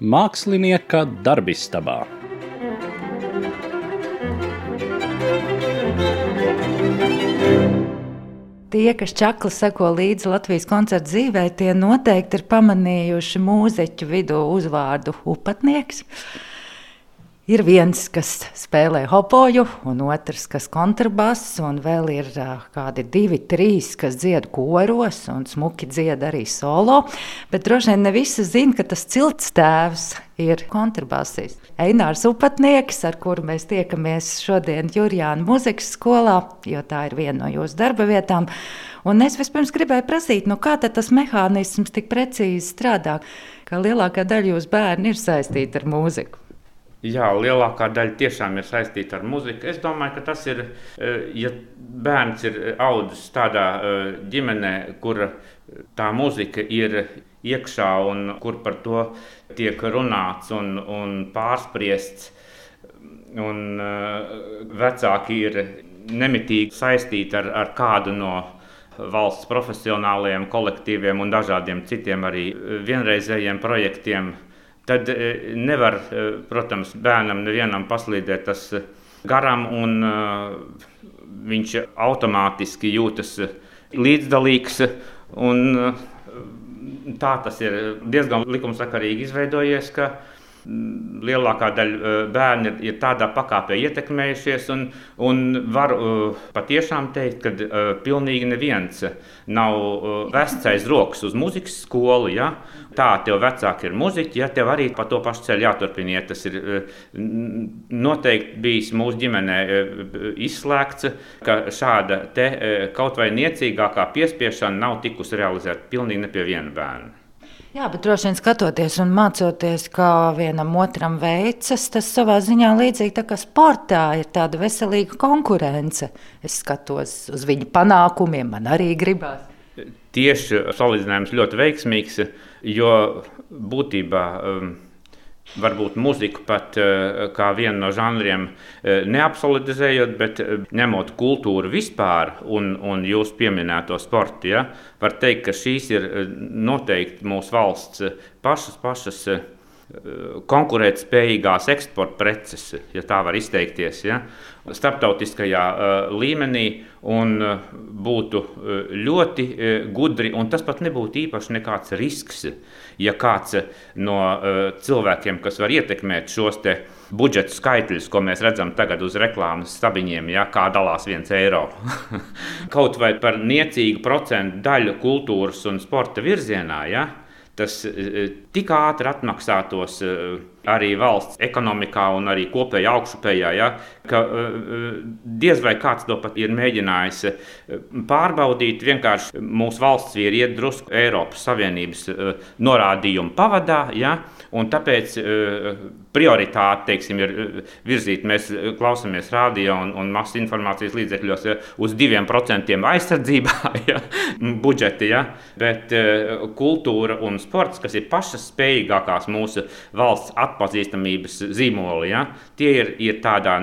Mākslinieka darbistabā. Tie, kas čakli seko līdzi Latvijas koncertu dzīvē, tie noteikti ir pamanījuši mūziķu vidū uzvārdu upatnieks. Ir viens, kas spēlē hopoju, un otrs, kas kontrabass, un vēl ir kādi 2, 3, kas dzied koros un smuki dzied arī solo. Bet droši vien ne visi zina, ka tas ciltstēvs ir kontrabassists. Einārs Upatnieks, ar kuru mēs tiekamies šodien Jurjāna mūzikas skolā, jo tā ir viena no jūsu darba vietām. Un es vispirms gribēju prasīt, kā tad tas mehānisms tik precīzi strādā, ka lielākā daļa jūsu bērni ir saistīti ar mūziku. Jā, lielākā daļa tiešām ir saistīta ar muziku. Es domāju, ka tas ir, ja bērns ir audzis tādā ģimenē, kur tā muzika ir iekšā un kur par to tiek runāts un pārspriests, un vecāki ir nemitīgi saistīti ar kādu no valsts profesionālajiem kolektīviem un dažādiem citiem arī vienreizējiem projektiem. Tad nevar, protams, bērnam nevienam paslīdēt tas garām, un viņš automātiski jūtas līdzdalīgs. Tā tas ir diezgan likumsakarīgi izveidojies, ka lielākā daļa bērni ir tādā pakāpē ietekmējušies, un var patiešām teikt, ka pilnīgi neviens nav vests aiz rokas uz muzikas skolu. Ja? Tā, tev vecāki ir muziķi, ja tev arī pa to pašu ceļu jāturpiniet. Tas ir noteikti bijis mūsu ģimenē izslēgts, ka šāda te kaut vai niecīgākā piespiešana nav tikusi realizēta pilnīgi ne pie viena bērna. Jā, bet droši vien skatoties un mācoties, kā vienam otram veicas, tas savā ziņā līdzīgi tā kā sportā ir tāda veselīga konkurence. Es skatos uz viņu panākumiem, man arī gribās. Tieši salīdzinājums ļoti veiksmīgs, jo būtībā varbūt muziku pat kā vienu no žanriem neabsolutizējot, bet ņemot kultūru vispār un jūs pieminēto sportu, ja, var teikt, ka šīs ir noteikti mūsu valsts pašas konkurētspējīgās eksporta preces, ja tā var izteikties, ja, starptautiskajā līmenī, un būtu ļoti gudri, un tas pat nebūtu īpaši nekāds risks, ja kāds no cilvēkiem, kas var ietekmēt šos te budžetu skaitļus, ko mēs redzam tagad uz reklāmas stabiņiem, ja, kā dalās 1 eiro. Kaut vai par niecīgu procentu daļu kultūras un sporta virzienā, ja, tas tik ātri atmaksātos arī valsts ekonomikā un arī kopējā augšupējā, ja, ka diez vai kāds to pat ir mēģinājis pārbaudīt. Vienkārši mūsu valsts ir iet drusku Eiropas Savienības norādījumu pavadā, ja, un tāpēc prioritāte, teiksim, ir virzīt. Mēs klausāmies radio un masas informācijas līdzekļos, ja, uz 2% aizsardzībā, ja, budžeti, ja, bet kultūra un sports, kas ir pašas spējīgākās mūsu valsts atpazīstamības zīmoli, ja, tie ir tādā,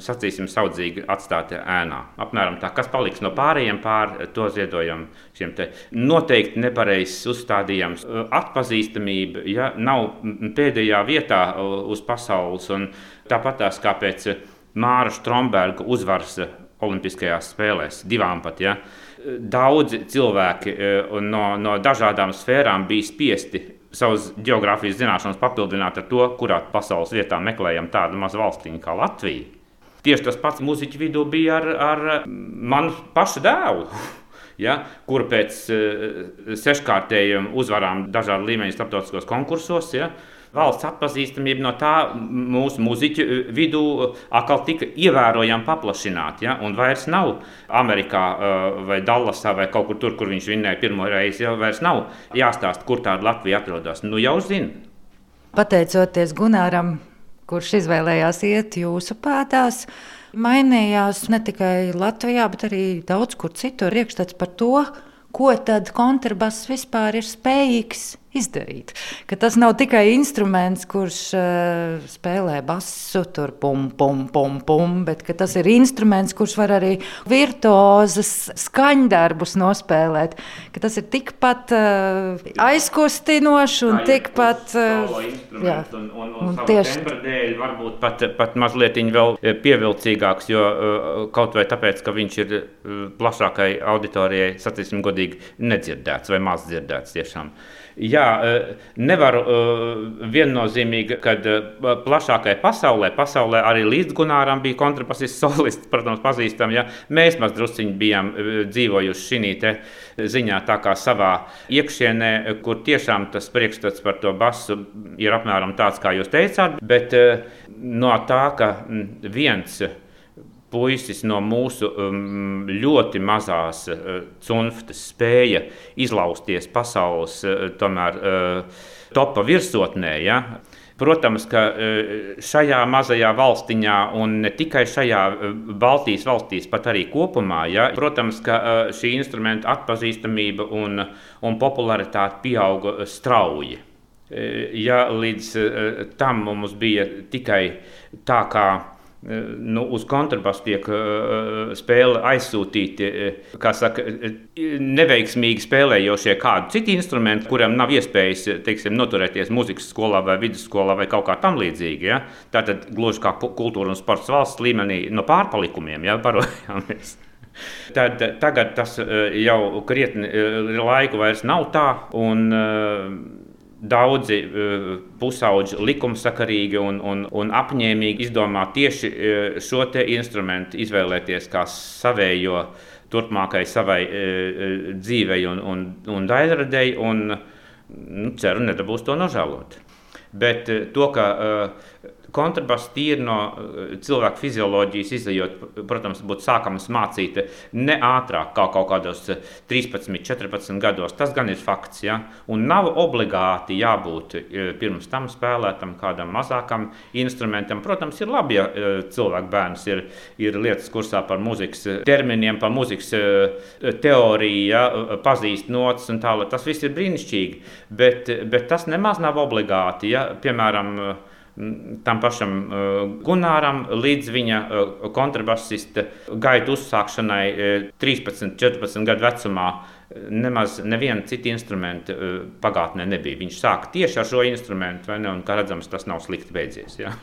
sacīsim, saudzīgi atstāti ēnā. Apmēram tā, kas paliks no pārējiem to ziedojam šiem te noteikti nepareizs uzstādījums. Atpazīstamība, ja, nav pēdējā vietā uz pasaules, un tāpatās kā pēc Māra Stromberga uzvaras Olimpiskajās spēlēs, 2 pat, ja. Daudzi cilvēki no dažādām sfērām bija spiesti savas geogrāfijas zināšanas papildināt ar to, kurā pasaules vietā meklējam tādu mazu valstiņu kā Latvija. Tieši tas pats muziķu vidū bija ar manu pašu dēlu, ja, kur pēc 6-kārtējiem uzvarām dažādu līmeņu starptautiskos konkursos, ja, valsts atpazīstamība no tā mūsu muziķu vidū atkal tika ievērojami paplašināta, ja, un vairs nav Amerikā vai Dallasā vai kaut kur tur, kur viņš vinnēja pirmo reizi, ja, vairs nav jāstāst, kur tāda Latvija atrodas. Jau zina. Pateicoties Gunāram, kurš izvēlējās iet jūsu pēdās, mainījās ne tikai Latvijā, bet arī daudz kur citur iekšstats par to, ko tad kontrabass vispār ir spējīgs izdarīt. Ka tas nav tikai instruments, kurš spēlē basu, tur pum, pum, pum, pum, bet ka tas ir instruments, kurš var arī virtuozas skaņdarbus nospēlēt. Ka tas ir tikpat aizkustinoši un tikpat... Un tieši tembra dēļ varbūt pat mazliet vēl pievilcīgāks, jo kaut vai tāpēc, ka viņš ir plašākai auditorijai, sacīsim godīgi, nedzirdēts vai maz dzirdēts tiešām. Jā, nevaru viennozīmīgi, kad plašākai pasaulē arī līdz Gunāram bija kontrabasists solists, protams, pazīstam, ja mēs maz drusciņi bijām dzīvojuši šī te ziņā tā kā savā iekšienē, kur tiešām tas priekšstats par to basu ir apmēram tāds, kā jūs teicāt, bet no tā, ka viens puisis no mūsu ļoti mazās cunftas spēja izlausties pasaules tomēr topa virsotnē, ja? Protams, ka šajā mazajā valstiņā un ne tikai šajā Baltijas valstīs, pat arī kopumā, ja? Protams, ka šī instrumenta atpazīstamība un popularitāte pieauga strauji. Ja līdz tam mums bija tikai tā, kā uz kontrabasu tiek spēle aizsūtīti, kā saka, neveiksmīgi spēlējošie kādu citu instrumentu, kuram nav iespējas, teiksim, noturēties muzikas skolā vai vidusskolā vai kaut kā tam līdzīgi. Ja? Tātad gluži kā kultūra un sports valsts līmenī no pārpalikumiem, ja, barojāmies. Tad tagad tas jau krietni laiku vairs nav tā, un daudzi pusauģi likumsakarīgi un apņēmīgi izdomā tieši šo te instrumentu izvēlēties kā savējo turpmākai savai dzīvei un daļradei, un ceru, nedabūs to nožēlot. Bet to, ka kontrabass tīri no cilvēka fizioloģijas izejot, protams, būtu sākams mācīt ne ātrāk, kā kaut kādos 13, 14 gados. Tas gan ir fakts, ja? Un nav obligāti jābūt pirms tam spēlētam kādam mazākam instrumentam. Protams, ir labi, ja cilvēku bērns ir lietas kursā par mūzikas terminiem, par mūzikas teoriju, ja? Pazīst notas un tālāk. Tas viss ir brīnišķīgi, bet tas nemaz nav obligāti, ja? Piemēram, tam pašam Gunāram līdz viņa kontrabasista gaitu uzsākšanai 13, 14 gadu vecumā nemaz neviena cita instrumenta pagātnē nebija. Viņš sāka tieši ar šo instrumentu, vai ne? Un, kā redzams, tas nav slikti beidzies. Ja?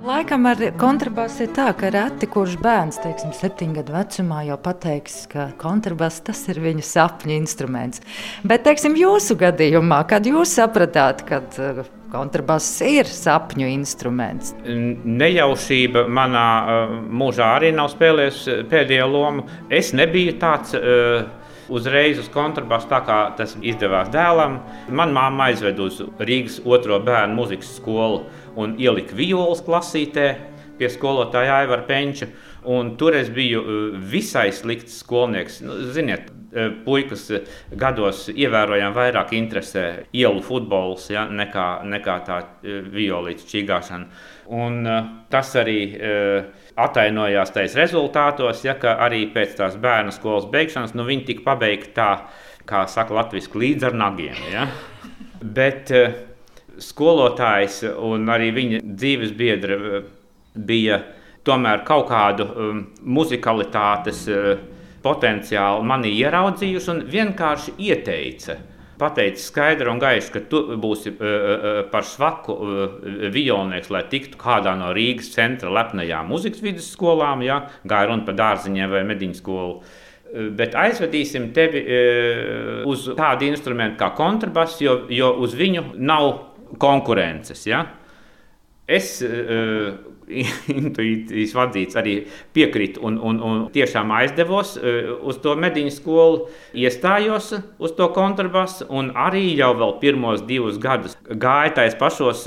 Laikam ar kontrabasu ir tā, ka reti kurš bērns, teiksim, 7 gadu vecumā jau pateiks, ka kontrabass tas ir viņa sapņu instruments. Bet, teiksim, jūsu gadījumā, kad jūs sapratāt, kad kontrabass ir sapņu instruments? Nejaušība manā mūžā arī nav spēlējusi pēdējo lomu. Es nebiju tāds uzreiz uz kontrabasu, tā kā tas izdevās dēlam. Man mamma aizved uz Rīgas 2. bērnu muzikas skolu un ielika violas klasītē pie skolotāja Aivara Penča. Un tur es biju visai slikts skolnieks. Ziniet, puikas gados ievērojami vairāk interesē ielu futbols, ja, nekā tā violītes čīgāšana. Un tas arī atainojās tais rezultātos, ja, ka arī pēc tās bērnu skolas beigšanas, viņi tika pabeigti tā, kā saka latviski, līdz ar nagiem. Ja. Bet skolotājs un arī viņa dzīves biedra bija tomēr kaut kādu muzikalitātes potenciālu manī ieraudzījuši un vienkārši ieteica. Pateica skaidri un gaiši, ka tu būsi par švaku violnieks, lai tiktu kādā no Rīgas centra lepnajām muzikas vidusskolām, ja, gāja runa par Dārziņiem vai Mediņu skolu. Bet aizvedīsim tevi uz tādu instrumentu kā kontrabass, jo uz viņu nav konkurences. Ja? Es intuīcijas vadīts arī piekrītu un tiešām aizdevos uz to mediņu skolu, iestājos uz to kontrabasu un arī jau vēl pirmos 2 gadus gāja tais pašos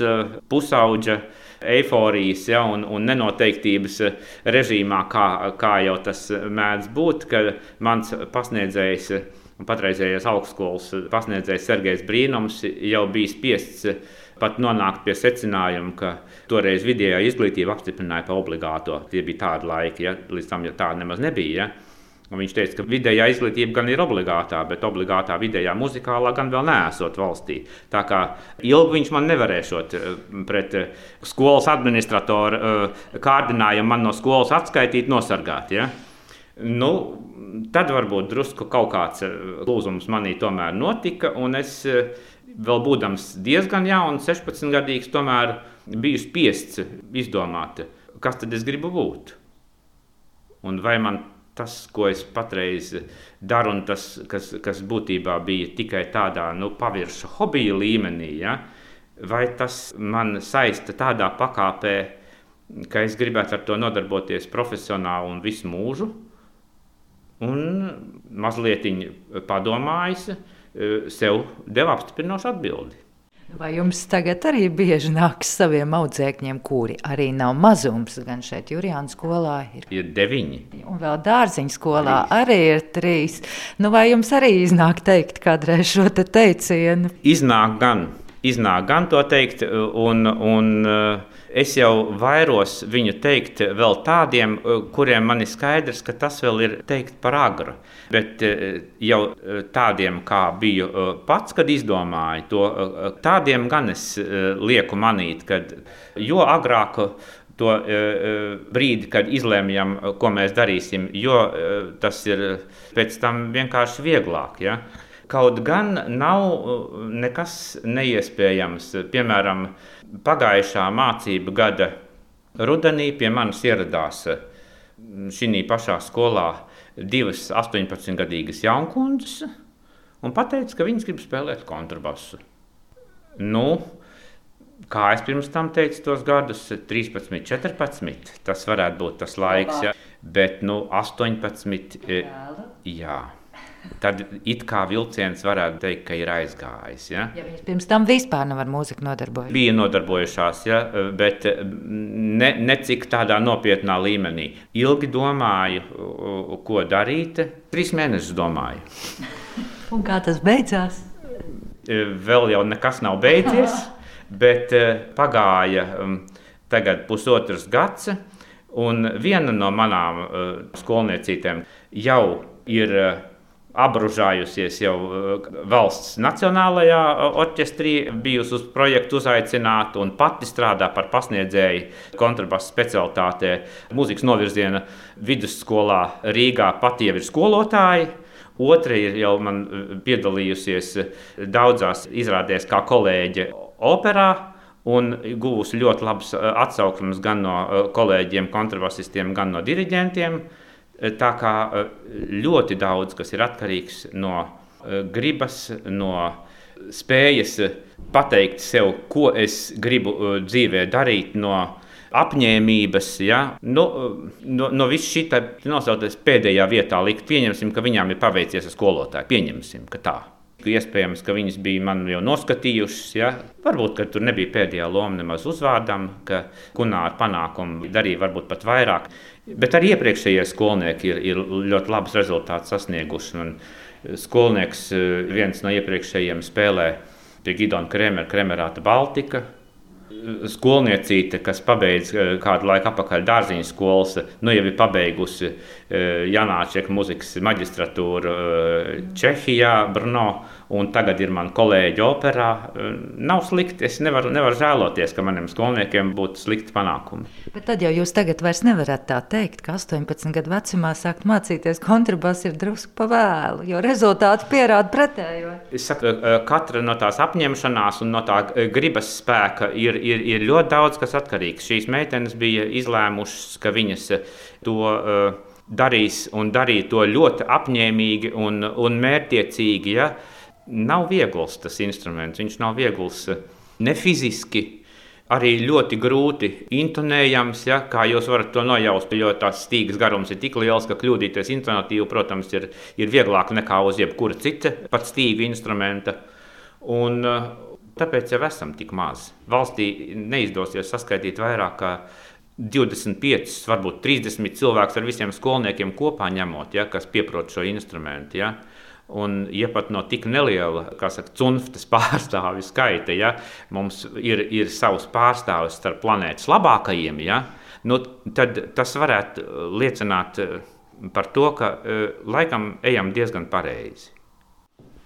pusauģa eiforijas un nenoteiktības režīmā, kā jau tas mēdz būt, kad mans pasniedzējs un patreizējais augstskolas pasniedzējs Sergejs Brīnums jau bija spiests pat nonākt pie secinājuma, ka toreiz vidējā izglītība apstiprināja par obligāto. Tie bija tādi laiki, līdz tam tāda nemaz nebija. Un viņš teica, ka vidējā izglītība gan ir obligātā, bet obligātā vidējā muzikālā gan vēl neesot valstī. Tā kā ilgi viņš man nevarēšot pret skolas administratoru kārdinājumu man no skolas atskaitīt, nosargāt. Ja? Nu, tad varbūt drusku kaut kāds lūzums manī tomēr notika, un es vēl būdams diezgan jauns, 16-gadīgs, tomēr biju spiests izdomāt, kas tad es gribu būt. Un vai man tas, ko es patreiz daru, un tas, kas būtībā bija tikai tādā pavirša hobija līmenī, vai tas man saista tādā pakāpē, ka es gribētu ar to nodarboties profesionāli un visu mūžu. Un mazlietiņ padomājis, sev deva apstiprinošu atbildi. Vai jums tagad arī bieži nāks saviem audzēkņiem, kuri arī nav mazums, gan šeit Jurijāna skolā ir 9. Un vēl Dārziņa skolā arī ir 3. Vai jums arī iznāk teikt kādreiz šo te teicienu? Iznāk gan to teikt, un es jau vairos viņu teikt vēl tādiem, kuriem man ir skaidrs, ka tas vēl ir teikt par agru. Bet jau tādiem, kā biju pats, kad izdomāju to, tādiem gan es lieku manīt, kad jo agrāk to brīdi, kad izlēmjam, ko mēs darīsim, jo tas ir pēc tam vienkārši vieglāk. Ja? Kaut gan nav nekas neiespējams. Piemēram, pagājušā mācību gada rudenī pie manis ieradās šī pašā skolā 2 18-gadīgas jaunkundzes un pateica, ka viņas grib spēlēt kontrabasu. Kā es pirms tam teicu tos gadus, 13, 14, tas varētu būt tas laiks, ja? Bet 18, jā. Tad it kā vilciens varētu teikt, ka ir aizgājis. Ja? Ja viņas pirms tam vispār nav ar mūziku nodarbojušās. Bija nodarbojušās, ja? Bet ne cik tādā nopietnā līmenī. Ilgi domāju, ko darīt. 3 mēnešus domāju. Un kā tas beidzās? Vēl jau nekas nav beidzies, bet pagāja tagad 1,5 gads, un viena no manām skolniecītēm jau ir apbružājusies jau valsts nacionālajā orķestrī, bijusi uz projektu uzaicināta un pati strādā par pasniedzēju kontrabasa specialitātē mūzikas novirziena vidusskolā Rīgā, pati jau ir skolotāja. Otra ir jau man piedalījusies daudzās izrādēs kā kolēģe operā un guvusi ļoti labas atsauksmes gan no kolēģiem, kontrabasistiem, gan no diriģentiem. Tā kā ļoti daudz, kas ir atkarīgs no gribas, no spējas pateikt sev, ko es gribu dzīvē darīt, no apņēmības, ja? No viss šī nosauties pēdējā vietā likt. Pieņemsim, ka viņām ir paveicies ar skolotāju. Pieņemsim, ka tā. Iespējams, ka viņas bija man jau noskatījušas. Ja? Varbūt, ka tur nebija pēdējā loma nemaz uzvārdam, ka kunāri panākumi darīja varbūt pat vairāk. Bet arī iepriekšējie skolnieki ir ļoti labus rezultātus sasnieguši. Un skolnieks viens no iepriekšējiem spēlē pie Gidona Kremerāta Baltika. Skolniecīte, kas pabeidz kādu laiku atpakaļ Dārziņas skolas, jau ir pabeigusi Janāčeka muzikas maģistratūru Čehijā, Brno, un tagad ir man kolēģi operā. Nav slikti, es nevaru žēloties, ka maniem skolniekiem būtu slikti panākumi. Bet tad jau jūs tagad vairs nevarat tā teikt, ka 18 gadu vecumā sākt mācīties kontrabasu ir drusku pa vēlu, jo rezultāti pierāda pretējo. Es saku, katra no tās apņemšanās un no tā gribas spēka ir ļoti daudz, kas atkarīgs. Šīs meitenes bija izlēmušas, ka viņas to darīs un darīja to ļoti apņēmīgi un mērķtiecīgi. Ja? Nav viegls tas instruments, viņš nav viegls ne fiziski, arī ļoti grūti intonējams, ja, kā jūs varat to nojaust, jo tās stīgas garums ir tik liels, ka kļūdīties intonatīvi, protams, ir vieglāk nekā uz jebkura cita pat stīga instrumenta. Un tāpēc jau esam tik maz. Valstī neizdosies saskaitīt vairāk kā 25, varbūt 30 cilvēkus ar visiem skolniekiem kopā ņemot, ja, kas pieprot šo instrumentu. Ja. Un, ja pat no tik neliela, kā saka, cunftas pārstāvju skaita, ja, mums ir savs pārstāvis starp planētas labākajiem, ja, nu, tad tas varētu liecināt par to, ka laikam ejam diezgan pareizi.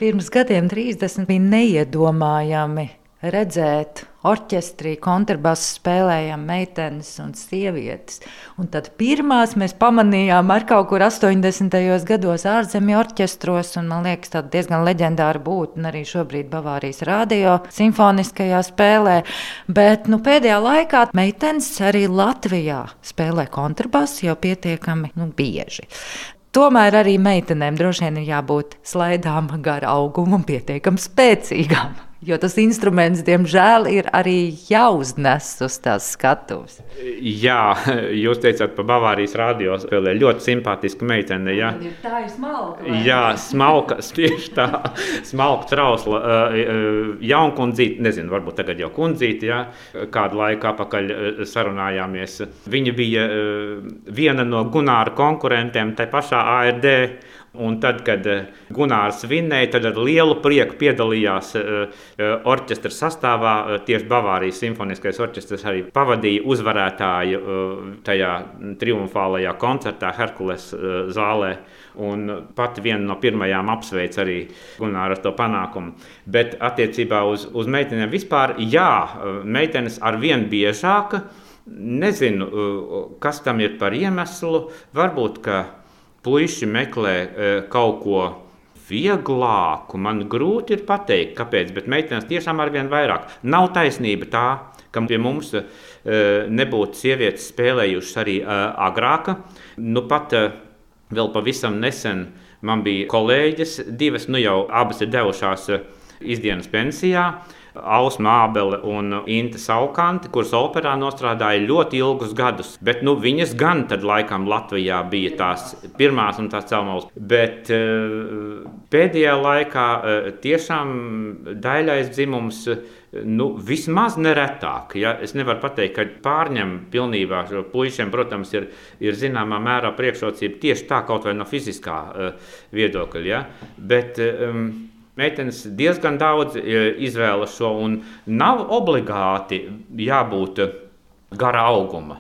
Pirms gadiem 30 bija neiedomājami redzēt orķestrī, kontrabasu spēlējām meitenes un sievietes. Un tad pirmās mēs pamanījām ar kaut kur 80. gados ārzemju orķestros, un man liekas tāda diezgan leģendāra būtne arī šobrīd Bavārijas radio simfoniskajā spēlē. Bet pēdējā laikā meitenes arī Latvijā spēlē kontrabasu jau pietiekami bieži. Tomēr arī meitenēm droši vien ir jābūt slaidām gar augumu un pietiekami spēcīgām. Jo tas instruments, diemžēl, ir arī jāuznes uz tās skatuves. Jā, jūs teicāt par Bavārijas radio spēlē. Ļoti simpātiska meitene. Ja? Tā ir smalka. Jā, smalka, tieši tā. Smalka, trausla, jaunkundzīte, nezinu, varbūt tagad jau kundzīte, ja? Kādu laiku atpakaļ sarunājāmies. Viņa bija viena no Gunāra konkurentiem tai pašā ARD. Un tad, kad Gunārs vinnēja, tad ar lielu prieku piedalījās orķestra sastāvā. Tieši Bavārijas simfoniskais orķestrs arī pavadīja uzvarētāju tajā triumfālajā koncertā Herkules zālē. Un pat viena no pirmajām apsveic arī Gunāru ar to panākumu. Bet attiecībā uz meitenēm vispār, jā, meitenes arvien biežāk. Nezinu, kas tam ir par iemeslu. Varbūt, ka puiši meklē kaut ko vieglāku. Man grūti ir pateikt, kāpēc, bet meitenes tiešām arvien vairāk. Nav taisnība tā, ka pie mums nebūtu sievietes spēlējušas arī agrāk. Pat vēl pavisam nesen man bija kolēģis, divas, jau abas ir devušās izdienas pensijā. Ausma Ābele un Inte Saukanti, kuras operā nostrādāja ļoti ilgus gadus. Bet viņas gan tad laikam Latvijā bija tās pirmās un tās celmaules. Bet pēdējā laikā tiešām daļais dzimums vismaz neretāk. Ja? Es nevaru pateikt, ka pārņem pilnībā šo puišiem, protams, ir zināmā mērā priekšrocība tieši tā kaut vai no fiziskā viedokļa. Ja? Bet meitenes diezgan daudz izvēlas šo, un nav obligāti jābūt gara auguma.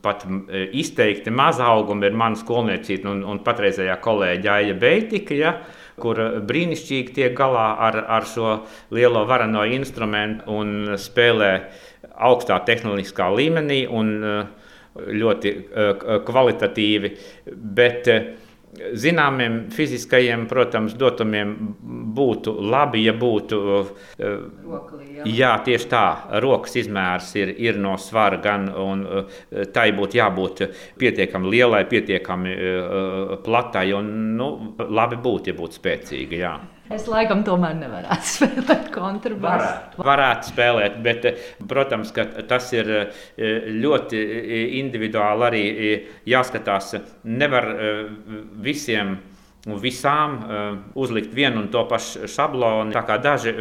Pat izteikti maza auguma ir mana skolniecība un patreizējā kolēģa Aija Beitika, ja, kur brīnišķīgi tiek galā ar šo lielo vareno instrumentu un spēlē augstā tehnoloģiskā līmenī un ļoti kvalitatīvi. Bet zināmiem fiziskajiem, protams, dotumiem būtu labi, ja būtu tieši tā, rokas izmērs ir no svara gan, un tai būtu jābūt pietiekami lielai, pietiekami platai, un labi būtu, ja būtu spēcīga, jā. Es laikam tomēr nevarētu spēlēt kontrabasu. Varētu spēlēt, bet, protams, ka tas ir ļoti individuāli arī jāskatās. Nevar visiem un visām uzlikt vienu un to pašu šablonu, tā kā daži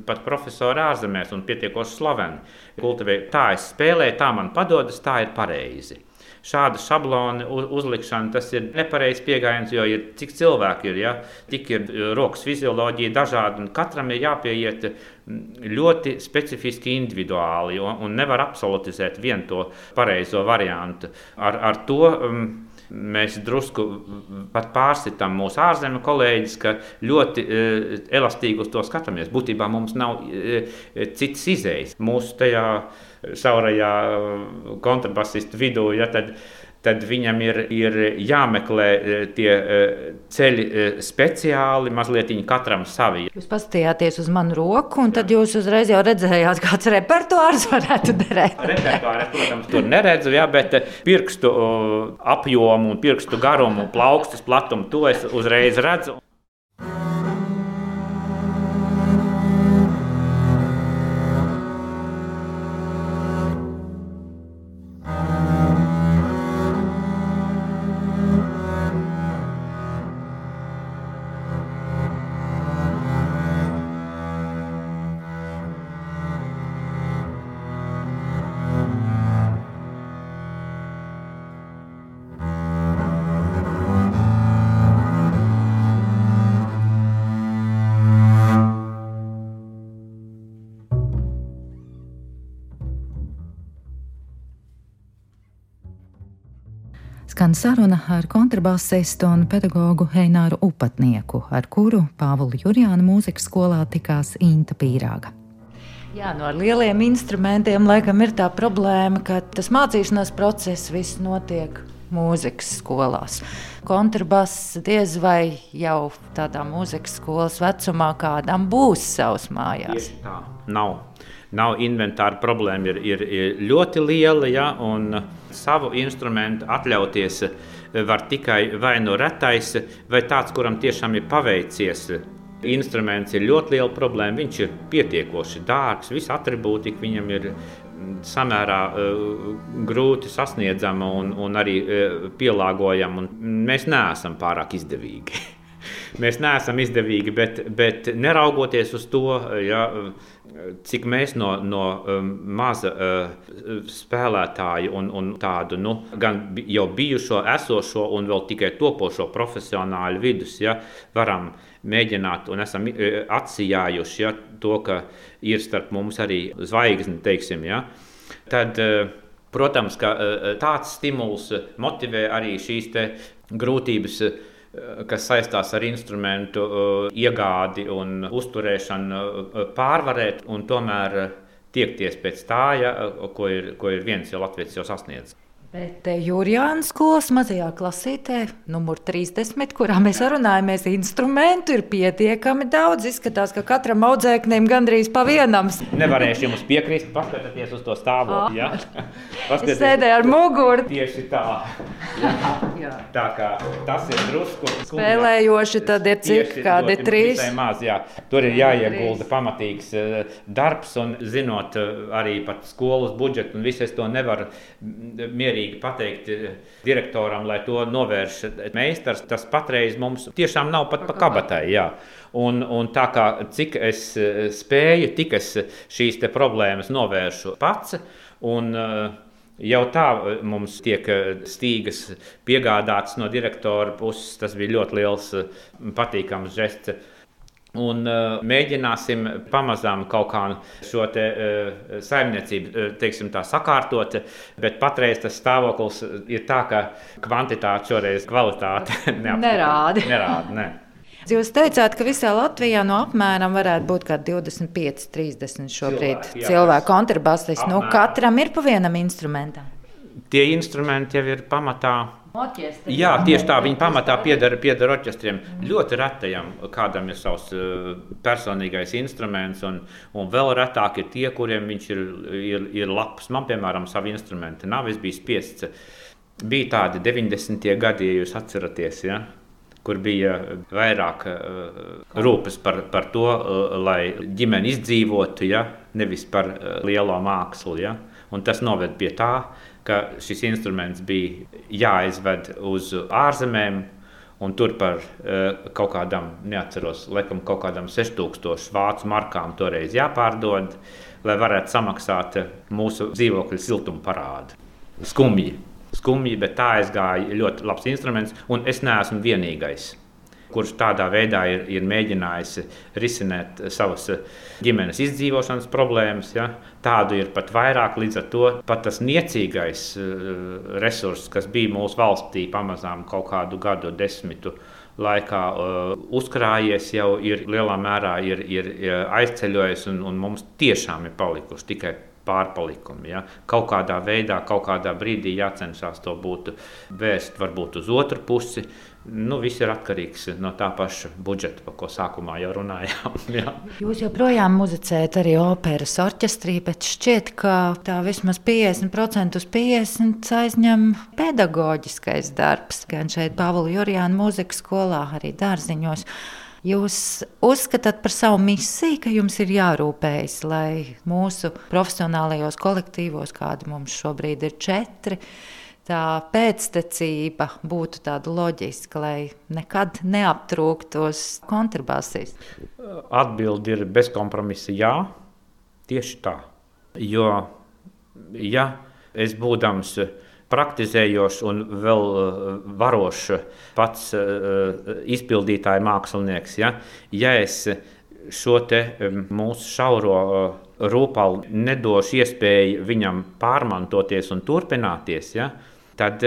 pat profesori ārzemēs un pietiekoši slaveni kultivē. Tā es spēlēju, tā man padodas, tā ir pareizi. Šāda šablona uzlikšana, tas ir nepareizs pieejams, jo ir cik cilvēki ir, ja? Tik ir rokas fizioloģija dažādi, un katram ir jāpieiet ļoti specifiski individuāli, un nevar absolutizēt vienu to pareizo variantu. Ar to mēs drusku pat pārsitam mūsu ārzemju kolēģis, ka ļoti elastīgi uz to skatāmies. Būtībā mums nav citas izējas. Mūsu tajā šaurajā kontrabasistu vidū, ja, tad viņam ir jāmeklē tie ceļi speciāli, mazliet katram savi. Jūs paskatījāties uz manu roku, un tad jūs uzreiz jau redzējāt, kāds repertuārs varētu derēt. Repertuārs, protams, tur neredzu, ja, bet pirkstu apjomu un pirkstu garumu, plaukstas platumu, to es uzreiz redzu. skan saruna ar kontrabasistu un pedagogu Eināru Upatnieku, ar kuru Pāvila Jurjāna mūzikas skolā tikās Inta Pīrāga. Jā, ar lieliem instrumentiem laikam ir tā problēma, ka tas mācīšanās process viss notiek mūzikas skolās. Kontrabass diez vai jau tādā mūzikas skolas vecumā kādam būs savs mājās. Tieši tā, nav inventāra problēma, ir ļoti liela, ja, un savu instrumentu atļauties var tikai vai no retais, vai tāds, kuram tiešām ir paveicies. Instruments ir ļoti liela problēma, viņš ir pietiekoši dārgs, visi atribūtika viņam ir samērā grūti sasniedzama un arī pielāgojama, un mēs neesam pārāk izdevīgi. Mēs neesam izdevīgi, bet neraugoties uz to, ja, cik mēs no maza spēlētāja un tādu gan jau bijušo, esošo un vēl tikai topošo profesionāļu vidus, ja, varam mēģināt un esam atsijājuši, ja, to, ka ir starp mums arī zvaigzne, teiksim, ja, tad, protams, ka tāds stimuls motivē arī šīs te grūtības, kas saistās ar instrumentu iegādi un uzturēšanu, pārvarēt un tomēr tiekties pēc tā, ja, ko ir viens jau latviečs jau sasniedz. Bet Jurjāna skolas mazajā klasītē, numur 30, kurā mēs runājamies, instrumentu ir pietiekami daudz. Izskatās, ka katram audzēknim gandrīz pa vienam. Nevarēšu jums piekrist, paskatieties uz to stāvokli. Ja? Es sēdēju ar muguru. Tieši tā. Ja? Tā kā tas ir drusku. Spēlējoši tad ir cik, kādi 3? Visai maz, jā. Tur ir jāiegulda pamatīgs darbs un zinot arī pat skolas budžetu un visu es to nevaru mierīgi pateikt direktoram, lai to novērš meistars. Tas patreiz mums tiešām nav pat pa kabatai. Jā. Un tā kā cik es spēju, tik es šīs te problēmas novēršu pats. Un jau tā mums tiek stīgas piegādāts no direktora puses. Tas bija ļoti liels patīkams žests. Un mēģināsim pamazām kaut kā šo te saimniecību, teiksim tā, sakārtot, bet patreiz tas stāvoklis ir tā, ka kvantitāte šoreiz kvalitāte nerāda. Ne. Jūs teicāt, ka visā Latvijā no apmēram varētu būt kā 25-30 šobrīd cilvēku kontrabasisti. Katram ir pa vienam instrumentam. Tie instrumenti jau ir pamatā. Orķestri. Jā, tieši tā, viņi pamatā pieder orķestriem. Ļoti retajam kādam ir savs personīgais instruments, un vēl retāk ir tie, kuriem viņš ir labs. Man, piemēram, savu instrumentu nav, es biju spiests. Bija tādi 90. gadi, ja jūs atceraties, ja, kur bija vairāk rūpes par to, lai ģimeni izdzīvotu, ja, nevis par lielo mākslu. Ja. Un tas noved pie tā, ka šis instruments bija jāizved uz ārzemēm, un tur par kaut kādam, neatceros, laikam kaut kādam 6000 vācu markām toreiz jāpārdod, lai varētu samaksāt mūsu dzīvokļu siltumu parādu. Skumji, bet tā aizgāja ļoti labs instruments, un es neesmu vienīgais, kurš tādā veidā ir mēģinājis risināt savas ģimenes izdzīvošanas problēmas. Ja? Tādu ir pat vairāk, līdz ar to pat tas niecīgais resurss, kas bija mūsu valstī pamazām kaut kādu gadu desmitu laikā uzkrājies, jau ir lielā mērā ir aizceļojis, un mums tiešām ir palikuši tikai pārpalikumi. Ja? Kaut kādā veidā, kaut kādā brīdī jācenšas to būtu vērst varbūt uz otru pusi. Viss ir atkarīgs no tā paša budžeta, par ko sākumā jau runājām. Ja. Jūs joprojām muzicējat arī operas orķestrī, bet šķiet, ka tā vismaz 50% uz 50% aizņem pedagoģiskais darbs. Gan šeit Pāvila Jurjāna mūzikas skolā, arī Dārziņos. Jūs uzskatāt par savu misiju, ka jums ir jārūpējas, lai mūsu profesionālajos kolektīvos, kādi mums šobrīd ir 4, tā pēctecība būtu tāda loģiska, lai nekad neaptrūktos kontrabasisti? Atbilde ir bez kompromisa jā, tieši tā. Jo, ja es būdams praktizējošs un vēl varošs pats izpildītāja mākslinieks, ja es šo te mūsu šauro rūpalu nedošu iespēju viņam pārmantoties un turpināties, ja, tad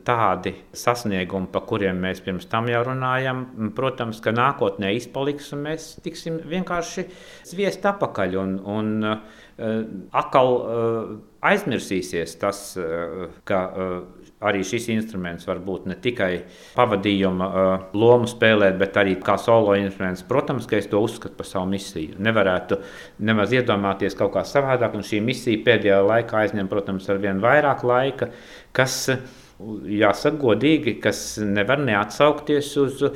tādi sasniegumi, pa kuriem mēs pirms tam jau runājam, protams, ka nākotnē izpaliks, un mēs tiksim vienkārši zviest apakaļ, un atkal aizmirsīsies tas, ka arī šis instruments var būt ne tikai pavadījuma lomu spēlēt, bet arī kā solo instruments. Protams, ka es to uzskatu par savu misiju. Nevarētu nemaz iedomāties kaut kā savādāk, un šī misija pēdējā laikā aizņem, protams, ar vien vairāk laika, kas, jāsaka godīgi, kas nevar neatsaukties uz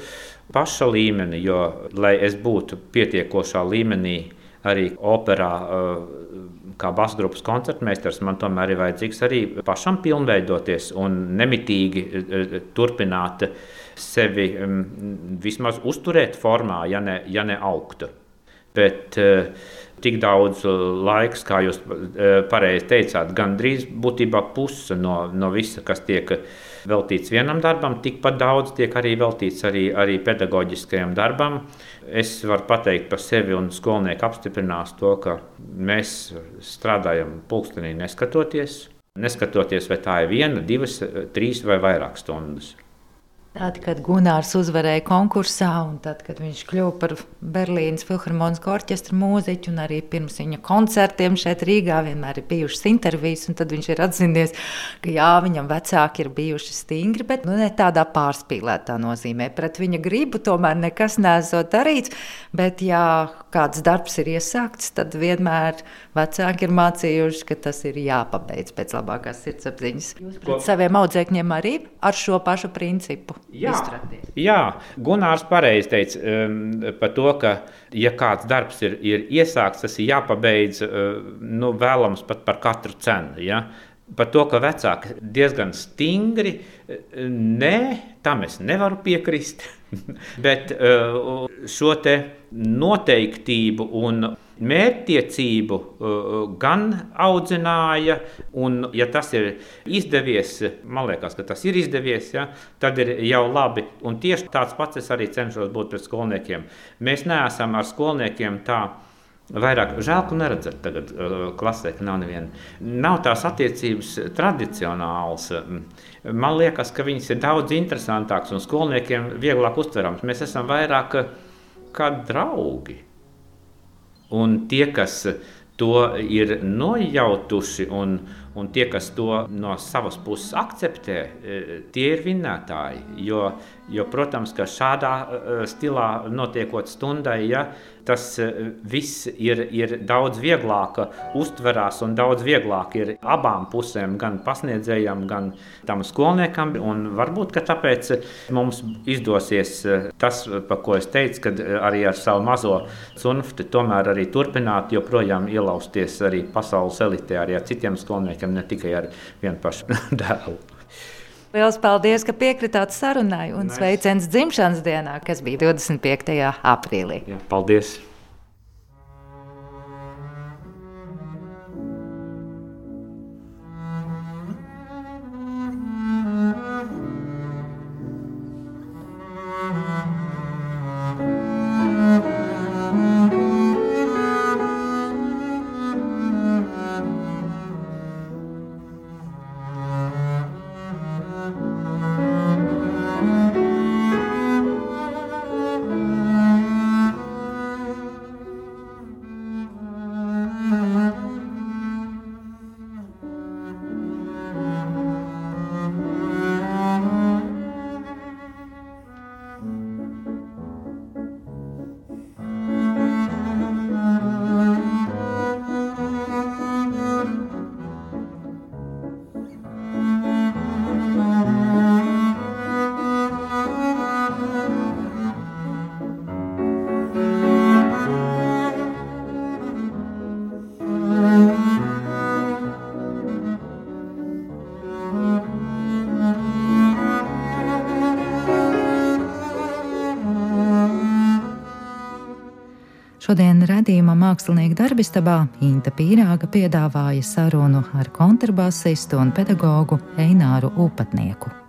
paša līmeni, jo, lai es būtu pietiekošā līmenī arī operā, kā basgrupas koncertmeistars, man tomēr ir vajadzīgs arī pašam pilnveidoties un nemitīgi turpināt sevi vismaz uzturēt formā, ja ne augt. Bet tik daudz laiks, kā jūs pareizi teicāt, gandrīz būtībā puse no visa, kas tiek veltīts vienam darbam, tikpat daudz tiek arī veltīts arī pedagoģiskajam darbam. Es varu pateikt par sevi, un skolnieki apstiprinās to, ka mēs strādājam pulkstenī neskatoties, vai tā ir 1, 2, 3 vai vairāk stundas. Tad, kad Gunārs uzvarēja konkursā, un tad, kad viņš kļuva par Berlīnes filharmoniskā orķestra mūziķu, un arī pirms viņa koncertiem šeit Rīgā vienmēr ir bijušas intervijas, un tad viņš ir atzinies, ka jā, viņam vecāki ir bijuši stingri, bet ne tādā pārspīlētā nozīmē. Pret viņa gribu tomēr nekas neesot darīts, bet ja kāds darbs ir iesākts, tad vienmēr vecāki ir mācījuši, ka tas ir jāpabeidz pēc labākās sirdsapziņas. Jūs pret saviem audzēkņiem arī ar šo pašu principu? Jā, Gunārs pareizi teica par to, ka, ja kāds darbs ir iesākts, tas ir jāpabeidz vēlams pat par katru cenu. Ja? Par to, ka vecāki diezgan stingri, tam es nevaru piekrist, bet šo te noteiktību un mērķtiecību gan audzināja, un ja tas ir izdevies, man liekas, ka tas ir izdevies, ja, tad ir jau labi. Un tieši tāds pats es arī cenšos būt pret skolniekiem. Mēs neesam ar skolniekiem tā vairāk, žēl, ka neredzat tagad klasē, ka nav neviena. Nav tās attiecības tradicionāls. Man liekas, ka viņas ir daudz interesantāks un skolniekiem vieglāk uztverams. Mēs esam vairāk kā draugi. Un tie, kas to ir nojautuši un tie, kas to no savas puses akceptē, tie ir vinnētāji. Jo protams, ka šādā stilā notiekot stundai, ja, tas viss ir daudz vieglāk uztverās un daudz vieglāk ir abām pusēm, gan pasniedzējam, gan tam skolniekam. Un varbūt, ka tāpēc mums izdosies tas, pa ko es teicu, kad arī ar savu mazo cunfti tomēr arī turpināt, joprojām ielausties arī pasaules elitē, arī ar citiem skolniekiem, ne tikai ar vienu pašu dēlu. Liels paldies, ka piekritāt sarunai un sveiciens dzimšanas dienā, kas bija 25. aprīlī. Jā, paldies! Šodien raidījuma Mākslinieka darbistabā Inta Pīrāga piedāvāja sarunu ar kontrabasistu un pedagogu Eināru Upatnieku.